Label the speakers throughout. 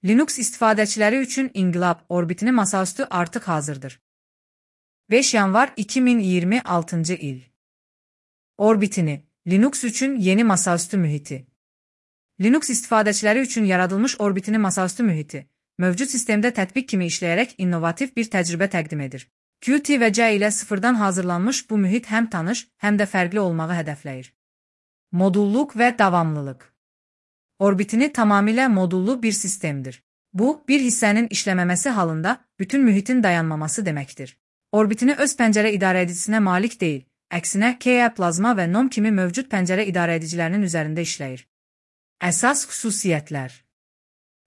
Speaker 1: Linux istifadəçiləri üçün İnqilab orbitini masaüstü artıq hazırdır. 5 yanvar 2026 il. Orbitini, Linux üçün yeni masaüstü mühiti. Linux istifadəçiləri üçün yaradılmış orbitini masaüstü mühiti, mövcud sistemdə tətbiq kimi işləyərək innovativ bir təcrübə təqdim edir. Qt və C ilə sıfırdan hazırlanmış bu mühit həm tanış, həm də fərqli olmağı hədəfləyir. Modulluq və davamlılıq. Orbitini tamamilə modullu bir sistemdir. Bu, bir hissənin işləməməsi halında bütün mühitin dayanmaması deməkdir. Orbitini öz pəncərə idarəedicinə malik deyil, əksinə KE, Plazma və NOM kimi mövcud pəncərə idarəedicilərinin üzərində işləyir. Əsas xüsusiyyətlər.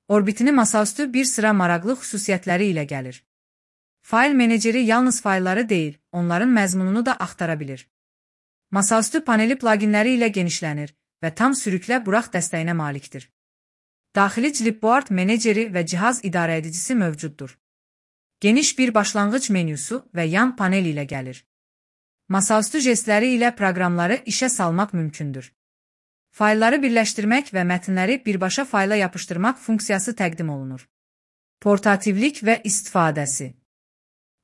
Speaker 1: Orbitini masaüstü bir sıra maraqlı xüsusiyyətləri ilə gəlir. Fayl meneceri yalnız faylları deyil, onların məzmununu da axtara bilir. Masaüstü paneli pluginləri ilə genişlənir və tam sürüklə burax dəstəyinə malikdir. Daxili clipboard meneceri və cihaz idarəedicisi mövcuddur. Geniş bir başlanğıc menyusu və yan panel ilə gəlir. Masaüstü jestləri ilə proqramları işə salmaq mümkündür. Faylları birləşdirmək və mətnləri birbaşa fayla yapışdırmaq funksiyası təqdim olunur. Portativlik və istifadəsi.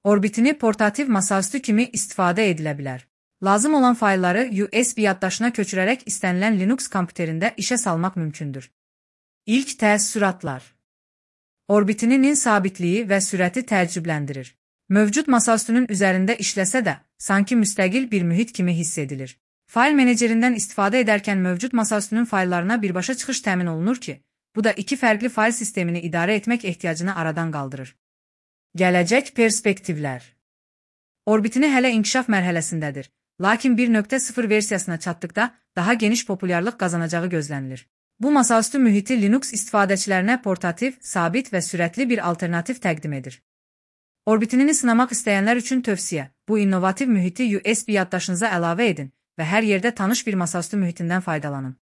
Speaker 1: Orbitini portativ masaüstü kimi istifadə edilə bilər. Lazım olan faylları USB yaddaşına köçürərək istənilən Linux kompüterində işə salmaq mümkündür. İlk təəssüratlar. Orbitinin sabitliyi və sürəti təəccübləndirir. Mövcud masaüstünün üzərində işləsə də, sanki müstəqil bir mühit kimi hiss edilir. Fayl menecerindən istifadə edərkən mövcud masaüstünün fayllarına birbaşa çıxış təmin olunur ki, bu da iki fərqli fayl sistemini idarə etmək ehtiyacını aradan qaldırır. Gələcək perspektivlər. Orbitini hələ inkişaf mərhələsindədir, lakin 1.0 versiyasına çatdıqda daha geniş populyarlıq qazanacağı gözlənilir. Bu masaüstü mühiti Linux istifadəçilərinə portativ, sabit və sürətli bir alternativ təqdim edir. Orbitini sınamaq istəyənlər üçün tövsiyə, bu innovativ mühiti USB yaddaşınıza əlavə edin və hər yerdə tanış bir masaüstü mühitindən faydalanın.